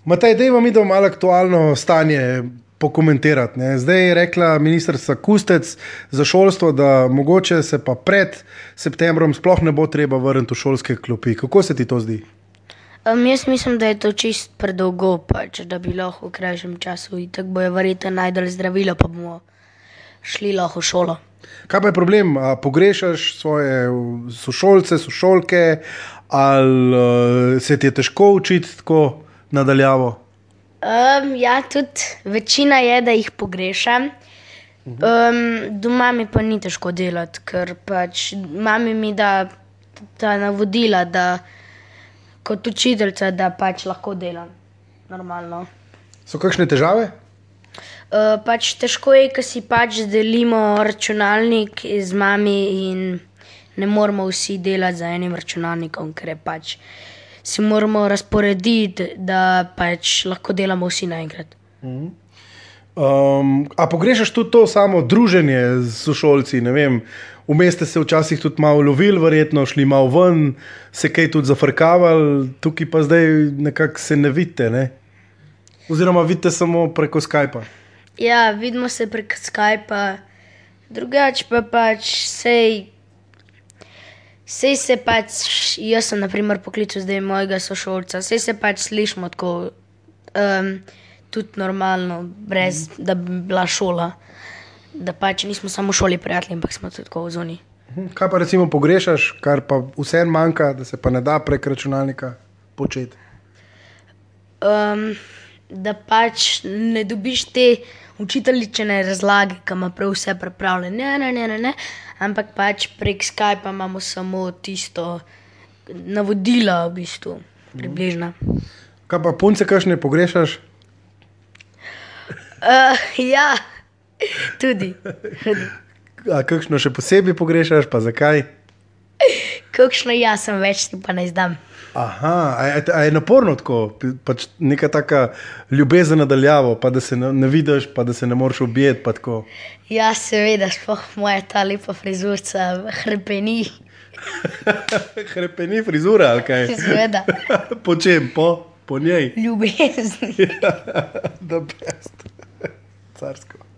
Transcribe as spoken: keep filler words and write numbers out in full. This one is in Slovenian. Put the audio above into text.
Matej, dajmo mi, da malo aktualno stanje pokomentirati. Ne. Zdaj je rekla ministrica Kustec za šolstvo, da mogoče se pa pred septembrom sploh ne bo treba vrniti v šolske klopi. Kako se ti to zdi? Um, jaz mislim, da je to čist predolgo, pač, da bi lahko v krajšem času in tako bojo verjetno najdali zdravilo, pa bomo šli lahko v šolo. Kaj pa je problem? A pogrešaš svoje sošolce, sošolke, ali uh, se ti je težko učiti tako nadaljavo? Um, ja, tudi večina je, da jih pogrešam. Um, doma mi pa ni težko delati, ker pač mami mi da ta navodila, da kot učiteljica, da pač lahko delam normalno. So kakšne težave? Uh, pač težko je, ker si pač delimo računalnik z mami in ne moramo vsi delati za enim računalnikom, ker je pač si moramo razporediti, da pač lahko delamo vsi naenkrat. Um, a pogrešaš tudi to samo druženje z sošolci, ne vem, vmes ste se včasih tudi malo lovili, verjetno šli malo ven, se kaj tudi zafrkavali, tukaj pa zdaj nekako se ne vidite, ne? Oziroma vidite samo preko Skypa. Ja, vidimo se preko Skypa, drugače pa pač sej, sej se pač, jaz sem na primer poklical zdaj mojega sošolca, sej se pač slišimo tako um, tudi normalno, brez da bi bila šola, da pač nismo samo v šoli prijatelji, ampak smo tudi tako v zoni. Kaj pa recimo pogrešaš, kar pa vsem manjka, da se pa ne da prek računalnika početi? Um, da pač ne dobiš te učiteljičine razlage, ki ima prav vse pripravljeno, ne, ne, ne, ne, ne, ampak pač prek Skypa imamo samo tisto navodila v bistvu, približno. Kaj pa punce kakšne pogrešaš? Uh, ja, tudi. tudi. A kakšno še posebej pogrešaš, pa zakaj? Kakšno jaz sem več, ti pa ne zdam. Aha, a je, a je naporno tako, pač neka taka ljubezen nadaljavo, pa da se ne, ne vidiš, pa da se ne moreš objeti, pa tako. Ja, seveda, sploh moja ta lepa frizurca hrepeni. Hrepeni frizura, ali kaj? Seveda. Po čem? Po, po njej? Ljubezni. Ja, the best. Carsko.